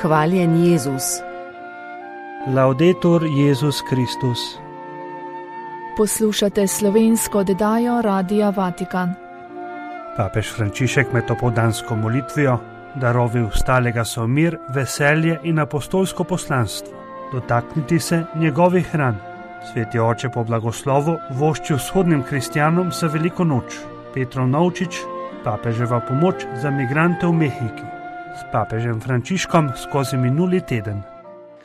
Hvaljen Jezus. Laudetur Jezus Kristus. Poslušate slovensko oddajo Radia Vatikan. Papež Frančišek med opoldansko molitvijo darovil stalega so mir, veselje in apostolsko poslanstvo. Dotakniti se njegovih ran. Sveti oče po blagoslovu vošči vzhodnim kristjanom za veliko noč. Petrov Novčič, papeževa pomoč za migrante v Mehiki. S papežem Frančiškom skozi minuli teden.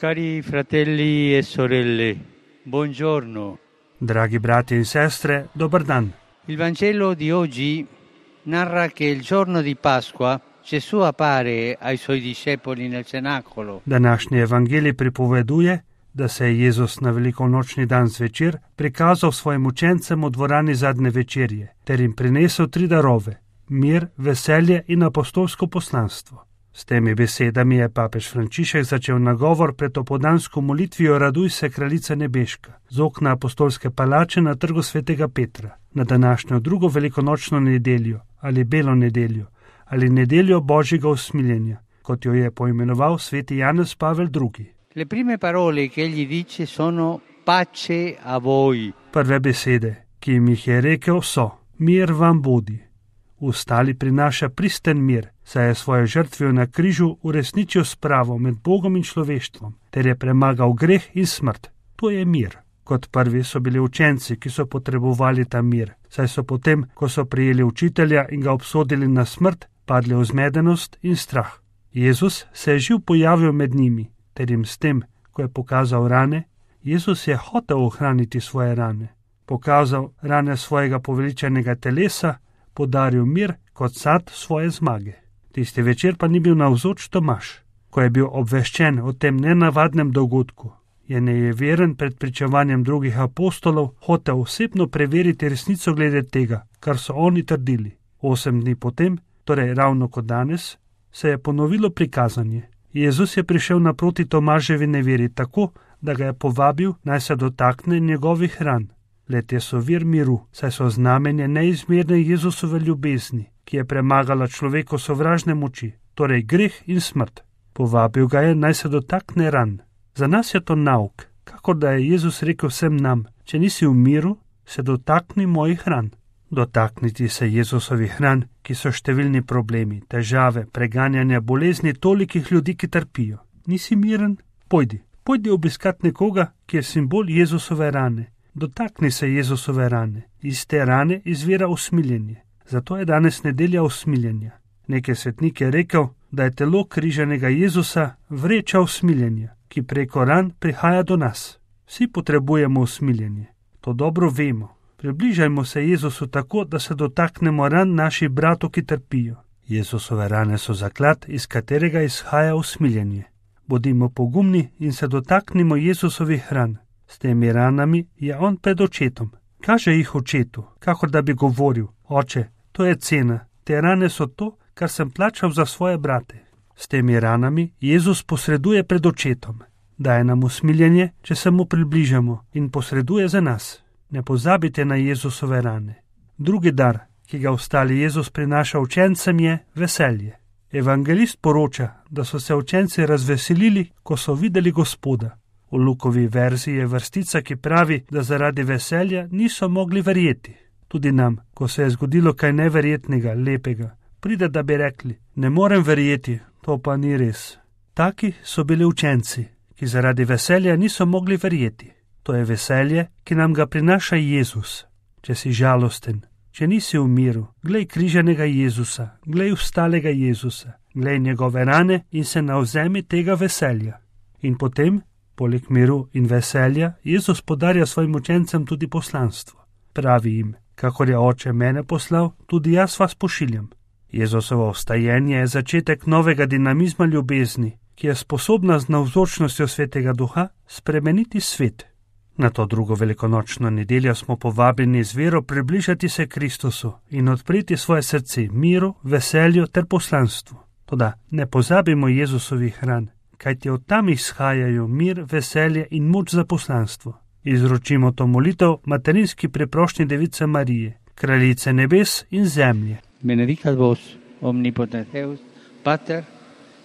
Cari fratelli e sorelle, buongiorno. Dragi brati in sestre, dober dan. Il Vangelo di oggi narra che il giorno di Pasqua Gesù appare ai suoi discepoli nel cenacolo. Današnji evangelij pripoveduje, da se je Jezus na velikonočni dan zvečer prikazal svojim učencem v dvorani zadnje večerje, ter jim prinesel 3 darove: mir, veselje in apostolsko poslanstvo. S temi besedami je papež Frančišek začel nagovor pred opoldansko molitvijo Raduj se, kraljica nebeška, z okna apostolske palače na trgu svetega Petra, na današnjo drugo velikonočno nedeljo ali belo nedeljo ali nedeljo Božjega usmiljenja, kot jo je poimenoval sveti Janez Pavel II. Le prime parole che egli dice sono pace a voi. Prve besede, ki jim jih je rekel, so: mir vam bodi. Ostali prinaša pristen mir, saj je svojo žrtvijo na križu uresničil spravo med Bogom in človeštvom, ter je premagal greh in smrt. To je mir. Kot prvi so bili učenci, ki so potrebovali ta mir, saj so potem, ko so prijeli učitelja in ga obsodili na smrt, padli v zmedenost in strah. Jezus se je živ pojavil med njimi, ter jim s tem, ko je pokazal rane, Jezus je hotel ohraniti svoje rane. Pokazal rane svojega poveličenega telesa, podaril mir kot sad svoje zmage. Tisti večer pa ni bil navzoč Tomaž. Ko je bil obveščen o tem nenavadnem dogodku, je nejeveren pred pričevanjem drugih apostolov hotel osebno preveriti resnico glede tega, kar so oni trdili. 8 dni potem, torej ravno kot danes, se je ponovilo prikazanje. Jezus je prišel naproti Tomaževi neveri tako, da ga je povabil, naj se dotakne njegovih ran. Le-te so vir miru, saj so znamenje neizmerne Jezusove ljubezni, ki je premagala človeko sovražne moči, torej greh in smrt. Povabil ga je, naj se dotakne ran. Za nas je to nauk, kakor da je Jezus rekel vsem nam: če nisi v miru, se dotakni mojih ran. Dotakniti se Jezusovih ran, ki so številni problemi, težave, preganjanja, bolezni tolikih ljudi, ki trpijo. Nisi miren? Pojdi obiskat nekoga, ki je simbol Jezusove rane. Dotakni se Jezusove rane. Iz te rane izvira usmiljenje. Zato je danes nedelja usmiljenja. Neki svetnik je rekel, da je telo križanega Jezusa vreča usmiljenja, ki preko ran prihaja do nas. Vsi potrebujemo usmiljenje. To dobro vemo. Približajmo se Jezusu tako, da se dotaknemo ran naših bratov, ki trpijo. Jezusove rane so zaklad, iz katerega izhaja usmiljenje. Bodimo pogumni in se dotaknimo Jezusovih ran. S temi ranami je on pred očetom. Kaže jih očetu, kakor da bi govoril: oče, to je cena, te rane so to, kar sem plačal za svoje brate. S temi ranami Jezus posreduje pred očetom. Daje nam usmiljenje, če se mu približamo, in posreduje za nas. Ne pozabite na Jezusove rane. Drugi dar, ki ga ostali Jezus prinaša učencem, je veselje. Evangelist poroča, da so se učenci razveselili, ko so videli Gospoda. V Lukovi verziji je vrstica, ki pravi, da zaradi veselja niso mogli verjeti. Tudi nam, ko se je zgodilo kaj neverjetnega, lepega, pride, da bi rekli: ne morem verjeti, to pa ni res. Taki so bili učenci, ki zaradi veselja niso mogli verjeti. To je veselje, ki nam ga prinaša Jezus. Če si žalosten, če nisi v miru, glej križanega Jezusa, glej vstalega Jezusa, glej njegove rane in se navzemi tega veselja. In potem, poleg miru in veselja, Jezus podarja svojim učencem tudi poslanstvo. Pravi jim: kakor je oče mene poslal, tudi jaz vas pošiljam. Jezusovo vstajenje je začetek novega dinamizma ljubezni, ki je sposobna z navzočnostjo Svetega Duha spremeniti svet. Na to drugo velikonočno nedeljo smo povabljeni z vero približati se Kristusu in odpreti svoje srce miru, veselju ter poslanstvu. Toda ne pozabimo Jezusovih ran, kajti od tam izhajajo mir, veselje in moč za poslanstvo. Izročimo to molitev materinski preprošnji Device Marije, kraljice nebes in zemlje. Benedicat vos omnipotens Deus, Pater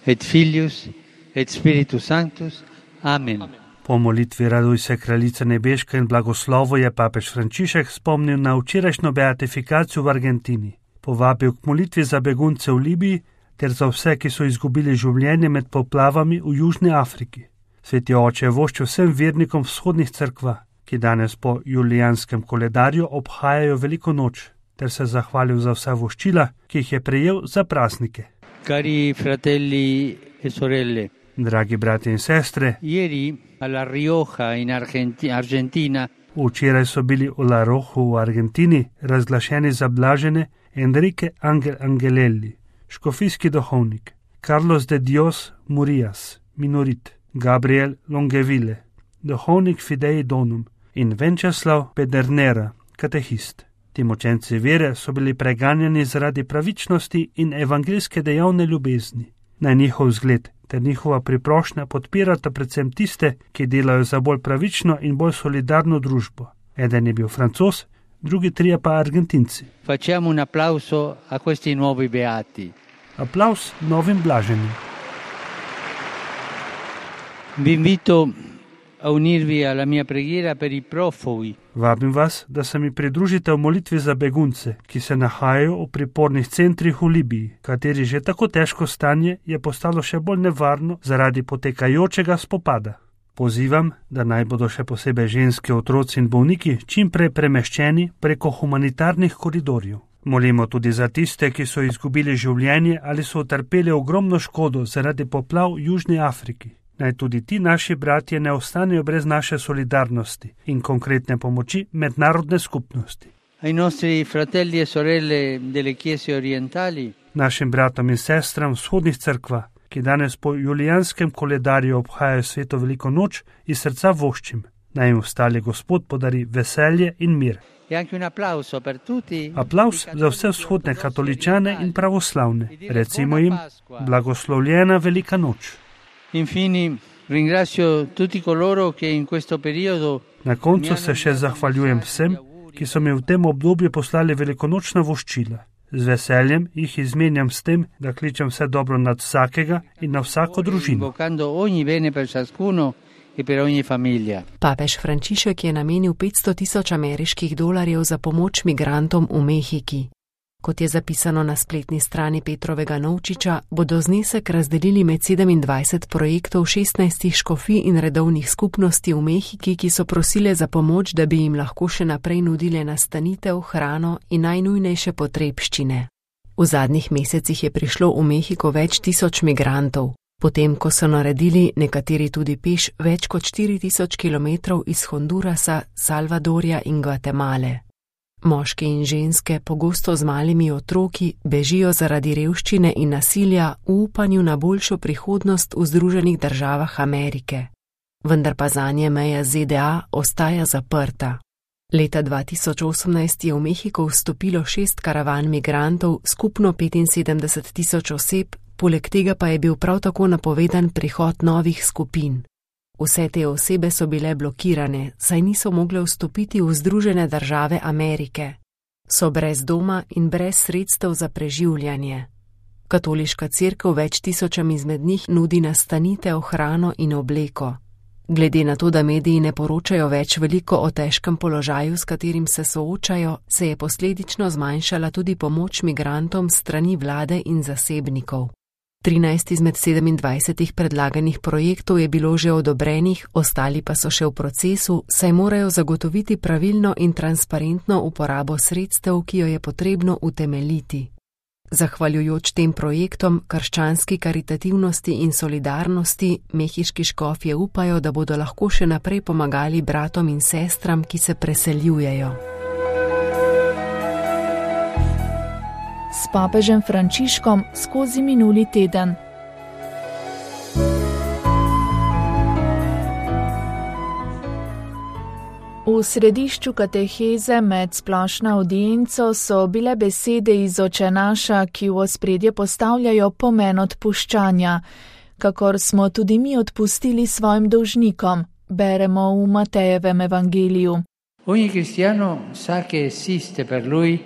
et Filius et Spiritus Sanctus. Amen. Po molitvi Raduj se, kraljica nebeška in blagoslovo je papež Frančišek spomnil na včerajšnjo beatifikacijo v Argentini. Povabil k molitvi za begunce v Libiji ter za vse, ki so izgubili življenje med poplavami v Južni Afriki. Sveti oče je voščil vsem vernikom vzhodnih cerkva, ki danes po julijanskem koledarju obhajajo veliko noč, ter se zahvalil za vsa voščila, ki jih je prejel za praznike. Cari fratelli e sorelle, Dragi brati in sestre, ieri alla Rioja in Argentina včeraj so bili v La Roju v Argentini razglašeni za blažene Enrique Angelelli, škofijski duhovnik, Carlos de Dios Murias, minorit, Gabriel Longeville, duhovnik Fidei Donum in Venceslav Pedernera, katehist. Ti močenci vere so bili preganjani zaradi pravičnosti in evangeljske dejavne ljubezni. Naj njihov zgled ter njihova priprošnja podpirata predvsem tiste, ki delajo za bolj pravično in bolj solidarno družbo. Eden je bil Francoz, drugi trije pa Argentinci. Facciamo un applauso a questi nuovi beati. Aplavz novim blaženim. Vi invito a unirvi alla mia preghiera per i profughi. Vabim vas, da se mi pridružite v molitvi za begunce, ki se nahajajo v pripornih centrih v Libiji, kateri že tako težko stanje je postalo še bolj nevarno zaradi potekajočega spopada. Pozivam, da naj bodo še posebej ženske, otroci in bolniki čim prej premeščeni preko humanitarnih koridorjev. Molimo tudi za tiste, ki so izgubili življenje ali so utrpeli ogromno škodo zaradi poplav v Južni Afriki. Naj tudi ti naši bratje ne ostanejo brez naše solidarnosti in konkretne pomoči mednarodne skupnosti. Ai nostri fratelli e sorelle delle chiese orientali, Našim bratom in sestram vzhodnih cerkva, ki danes po julijanskem koledarju obhajajo sveto veliko noč, iz srca voščim, naj jim ostali Gospod podari veselje in mir. e anche un applauso per tutti. Aplavz za vse vzhodne katoličane in pravoslavne. Recimo jim, blagoslovljena velika noč. Infine, ringrazio tutti coloro che in questo periodo Na koncu se še zahvaljujem vsem, ki so mi v tem obdobju poslali velikonočna voščila. Z veseljem jih izmenjam s tem, da kličem vse dobro nad vsakega in na vsako družino. invocando ogni bene per ciascuno e per ogni famiglia. Papež Frančišek je namenil 500.000 ameriških dolarjev za pomoč migrantom v Mehiki. Kot je zapisano na spletni strani Petrovega Novčiča, bodo znesek razdelili med 27 projektov 16 škofij in redovnih skupnosti v Mehiki, ki so prosile za pomoč, da bi jim lahko še naprej nudile nastanitev, hrano in najnujnejše potrebščine. V zadnjih mesecih je prišlo v Mehiko več tisoč migrantov, potem ko so naredili nekateri tudi peš več kot 4000 kilometrov iz Hondurasa, Salvadorja in Gvatemale. Moški in ženske, pogosto z malimi otroki, bežijo zaradi revščine in nasilja v upanju na boljšo prihodnost v Združenih državah Amerike. Vendar pa zanje meja ZDA ostaja zaprta. Leta 2018 je v Mehiko vstopilo 6 karavan migrantov, skupno 75.000 oseb, poleg tega pa je bil prav tako napovedan prihod novih skupin. Vse te osebe so bile blokirane, saj niso mogle vstopiti v Združene države Amerike. So brez doma in brez sredstev za preživljanje. Katoliška cerkev več tisočam izmed njih nudi nastanitev, hrano in obleko. Glede na to, da mediji ne poročajo več veliko o težkem položaju, s katerim se soočajo, se je posledično zmanjšala tudi pomoč migrantom strani vlade in zasebnikov. 13 izmed 27 predlaganih projektov je bilo že odobrenih, ostali pa so še v procesu, saj morajo zagotoviti pravilno in transparentno uporabo sredstev, ki jo je potrebno utemeljiti. Zahvaljujoč tem projektom, krščanski karitativnosti in solidarnosti, mehiški škofje upajo, da bodo lahko še naprej pomagali bratom in sestram, ki se preseljujejo. S papežem Frančiškom skozi minuli teden. V središču kateheze med splošno avdienco so bile besede iz Oče naša, ki v ospredje postavljajo pomen odpuščanja, kakor smo tudi mi odpustili svojim dolžnikom, beremo v Matejevem evangeliju. Ogni cristiano sa che esiste per lui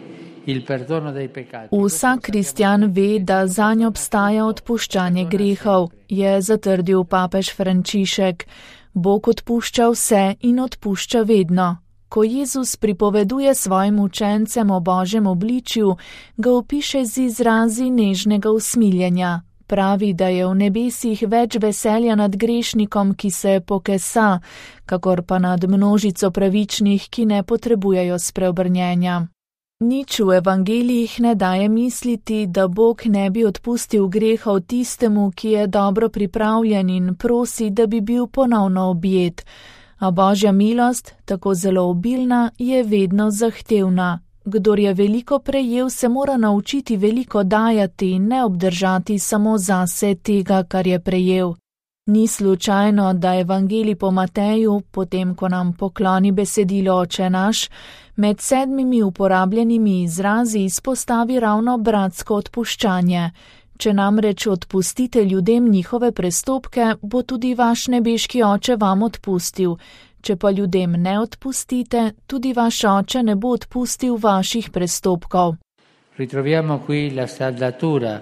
il perdono dei peccati. Vsak kristjan ve, da zanj obstaja odpuščanje grehov, je zatrdil papež Frančišek. Bog odpušča vse in odpušča vedno. Ko Jezus pripoveduje svojim učencem o Božjem obličju, ga opiše z izrazi nežnega usmiljenja. Pravi, da je v nebesih več veselja nad grešnikom, ki se pokesa, kakor pa nad množico pravičnih, ki ne potrebujejo spreobrnjenja. Nič v evangelijih ne daje misliti, da Bog ne bi odpustil grehov tistemu, ki je dobro pripravljen in prosi, da bi bil ponovno objet. A Božja milost, tako zelo obilna, je vedno zahtevna. Kdor je veliko prejel, se mora naučiti veliko dajati in ne obdržati samo zase tega, kar je prejel. Ni slučajno, da evangelij po Mateju, potem ko nam pokloni besedilo Oče naš, med 7 uporabljenimi izrazi izpostavi ravno bratsko odpuščanje. Če namreč odpustite ljudem njihove prestopke, bo tudi vaš nebeški Oče vam odpustil. Če pa ljudem ne odpustite, tudi vaš Oče ne bo odpustil vaših prestopkov. Ritroviamo qui la saldatura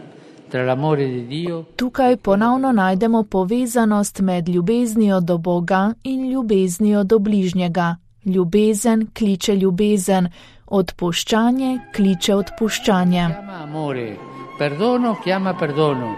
tra l'amore di Dio. Tukaj ponovno najdemo povezanost med ljubeznijo do Boga in ljubeznijo do bližnjega. Ljubezen kliče ljubezen, odpuščanje kliče odpuščanje. Chiama amore, perdono chiama perdono.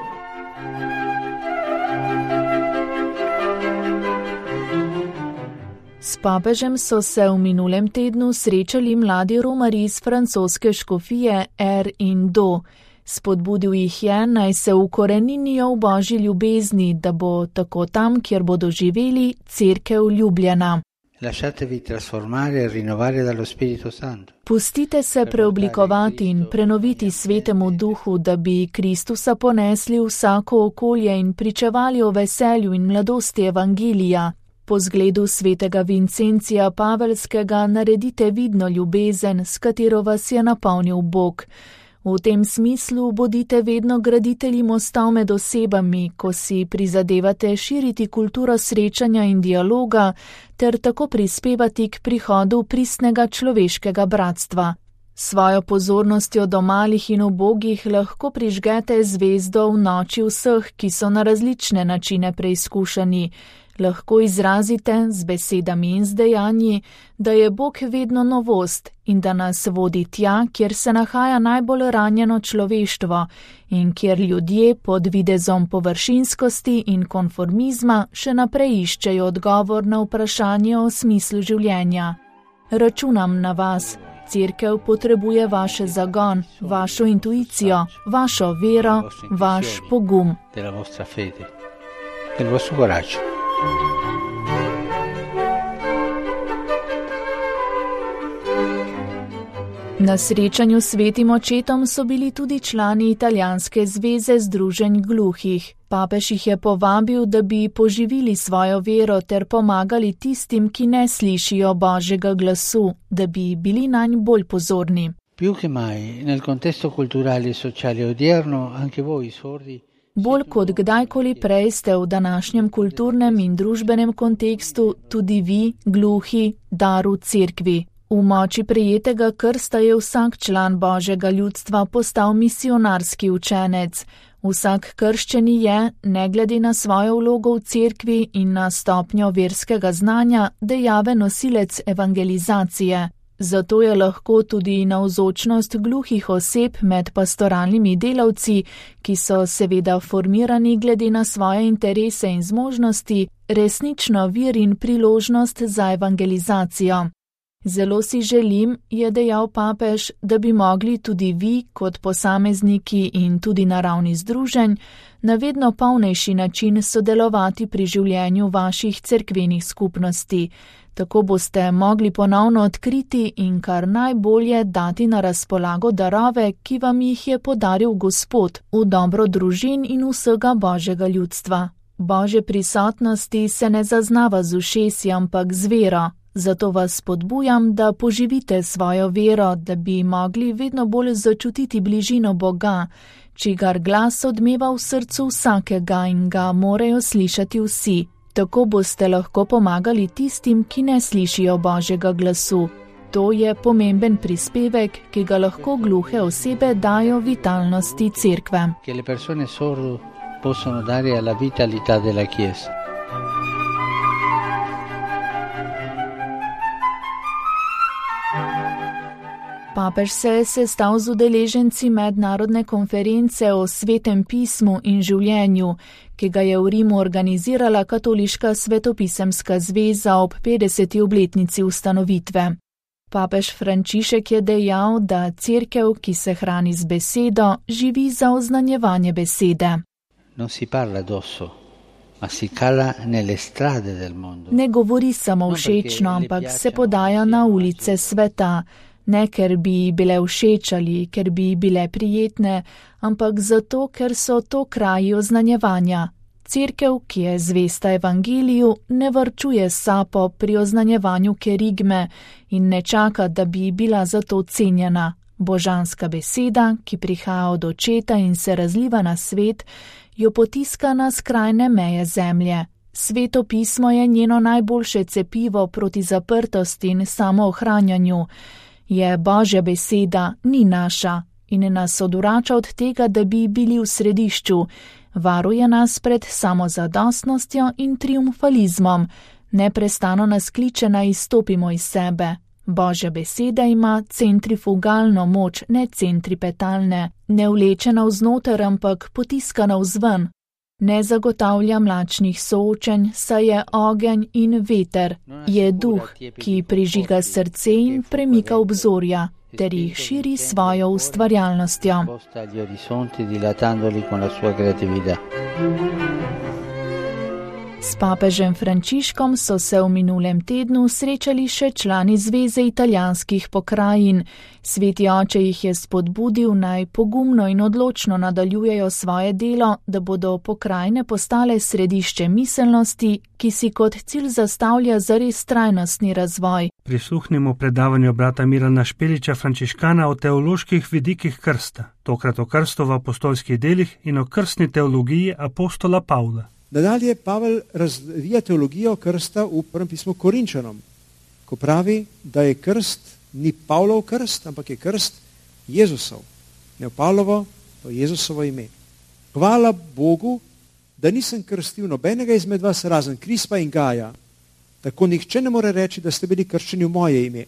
S papežem so se v minulem tednu srečali mladi romarji iz francoske škofije R in Do. Spodbudil jih je, naj se ukoreninijo v Božji ljubezni, da bo tako tam, kjer bodo živeli, cerkev ljubljena. Lasciatevi trasformare e rinnovare dallo Spirito Santo. Pustite se preoblikovati in prenoviti Svetemu Duhu, da bi Kristusa ponesli v vsako okolje in pričevali o veselju in mladosti evangelija. Po zgledu svetega Vincencija Pavelskega naredite vidno ljubezen, s katero vas je napolnil Bog. V tem smislu bodite vedno graditelji mostov med osebami, ko si prizadevate širiti kulturo srečanja in dialoga, ter tako prispevati k prihodu pristnega človeškega bratstva. Svojo pozornostjo do malih in ubogih lahko prižgete zvezdo v noči vseh, ki so na različne načine preizkušani. Lahko izrazite z besedami in z dejanji, da je Bog vedno novost in da nas vodi tja, kjer se nahaja najbolj ranjeno človeštvo in kjer ljudje pod videzom površinskosti in konformizma še naprej iščejo odgovor na vprašanje o smislu življenja. Računam na vas. Cerkev potrebuje vaše zagon, vašo intuicijo, vašo vero, vaš pogum. Della vostra fede, del vostro coraggio. Na srečanju s svetim očetom so bili tudi člani italijanske zveze združenj gluhih. Papež jih je povabil, da bi poživili svojo vero ter pomagali tistim, ki ne slišijo Božjega glasu, da bi bili nanj bolj pozorni. Più che mai, nel contesto culturale e sociale odierno, anche voi sordi. Bolj kot kdajkoli prej ste v današnjem kulturnem in družbenem kontekstu tudi vi, gluhi, dar v cerkvi. V moči prejetega krsta je vsak član Božjega ljudstva postal misionarski učenec. Vsak krščeni je, ne glede na svojo vlogo v cerkvi in na stopnjo verskega znanja, dejaven nosilec evangelizacije. Zato je lahko tudi navzočnost gluhih oseb med pastoralnimi delavci, ki so seveda formirani glede na svoje interese in zmožnosti, resnično vir in priložnost za evangelizacijo. Zelo si želim, je dejal papež, da bi mogli tudi vi, kot posamezniki in tudi na ravni združenj, na vedno polnejši način sodelovati pri življenju vaših cerkvenih skupnosti. Tako boste mogli ponovno odkriti in kar najbolje dati na razpolago darove, ki vam jih je podaril Gospod v dobro družin in vsega Božjega ljudstva. Božje prisotnosti se ne zaznava z ušesi, ampak z vero. Zato vas spodbujam, da poživite svojo vero, da bi mogli vedno bolj začutiti bližino Boga, čigar glas odmeva v srcu vsakega in ga morajo slišati vsi. Tako boste lahko pomagali tistim, ki ne slišijo Božjega glasu. To je pomemben prispevek, ki ga lahko gluhe osebe dajo vitalnosti cerkve. Che le persone sorde possono dare alla vitalità della Chiesa. Papež se je sestal z udeleženci mednarodne konference o svetem pismu in življenju, ki ga je v Rimu organizirala Katoliška svetopisemska zveza ob 50. obletnici ustanovitve. Papež Frančišek je dejal, da cerkev, ki se hrani z besedo, živi za oznanjevanje besede. Non si parla addosso, ma si cala nelle strade del mondo. Ne govori samo všečno, ampak se podaja na ulice sveta. Ne, ker bi bile všeč ali ker bi bile prijetne, ampak zato, ker so to kraji oznanjevanja. Cerkev, ki je zvesta evangeliju, ne varčuje sapo pri oznanjevanju kerigme in ne čaka, da bi bila zato cenjena. Božanska beseda, ki prihaja od Očeta in se razliva na svet, jo potiska na skrajne meje zemlje. Sveto pismo je njeno najboljše cepivo proti zaprtosti in samoohranjanju. Je Božja beseda, ni naša in nas odvrača od tega, da bi bili v središču. Varuje nas pred samozadostnostjo in triumfalizmom. Neprestano nas kliče naj izstopimo iz sebe. Božja beseda ima centrifugalno moč, ne centripetalne, ne vleče navznoter, ampak potiska navzven. Ne zagotavlja mlačnih soočenj, saj je ogenj in veter, je duh, ki prižiga srce in premika obzorja, ter jih širi svojo ustvarjalnostjo. S papežem Frančiškom so se v minulem tednu srečali še člani Zveze italijanskih pokrajin. Sveti oče jih je spodbudil, naj pogumno in odločno nadaljujejo svoje delo, da bodo pokrajine postale središče miselnosti, ki si kot cilj zastavlja zares trajnostni razvoj. Prisluhnimo predavanju brata Mirana Špeliča, frančiškana, o teoloških vidikih krsta, tokrat o krstu v apostolskih delih in o krstni teologiji apostola Pavla. Nadalje Pavel razvija teologijo krsta v prvem pismu Korinčanom, ko pravi, da je krst ni Pavlov krst, ampak je krst Jezusov. Ne Pavlovo, pa Jezusovo ime. Hvala Bogu, da nisem krstil nobenega izmed vas razen Krispa in Gaja. Tako nihče ne more reči, da ste bili krščeni v moje ime.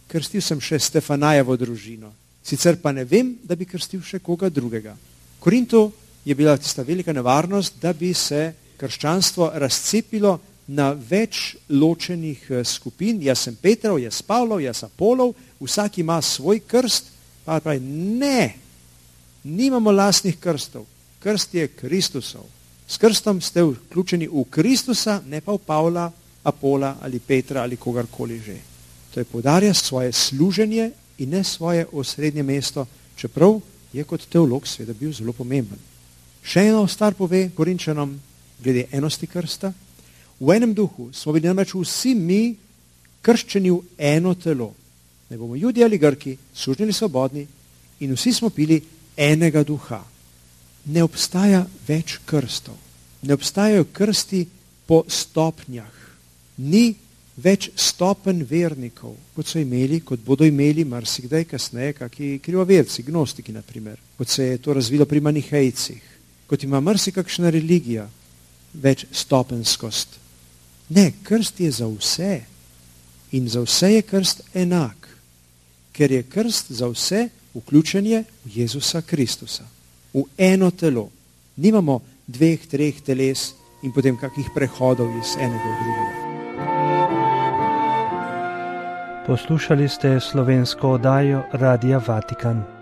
Krstil sem še Stefanajevo družino. Sicer pa ne vem, da bi krstil še koga drugega. Korinto je bila tista velika nevarnost, da bi se krščanstvo razcepilo na več ločenih skupin. Jaz sem Petrov, jaz Pavlov, jaz Apolov, vsak ima svoj krst. Pa pravi, ne, nimamo lastnih krstov. Krst je Kristusov. S krstom ste vključeni v Kristusa, ne pa v Pavla, Apola ali Petra ali kogarkoli že. To je poudarja svoje služenje in ne svoje osrednje mesto, čeprav je kot teolog seveda bil zelo pomemben. Še eno stvar pove Korinčanom glede enosti krsta. V enem duhu smo bili namreč vsi mi krščeni v eno telo. Ne bomo Judi ali Grki, sužnji ali svobodni, in vsi smo pili enega duha. Ne obstaja več krstov. Ne obstajajo krsti po stopnjah. Ni več stopenj vernikov, kot so imeli, kot bodo imeli marsikdaj kasneje, kaki krivoverci, gnostiki na primer, kot se je to razvilo pri manihejcih. Kot ima marsikakšna religija, več stopenskost. Ne, krst je za vse. In za vse je krst enak. Ker je krst za vse vključenje v Jezusa Kristusa. V eno telo. Nimamo 2, 3 teles in potem kakih prehodov iz enega v drugega. Poslušali ste slovensko oddajo Radia Vatikan.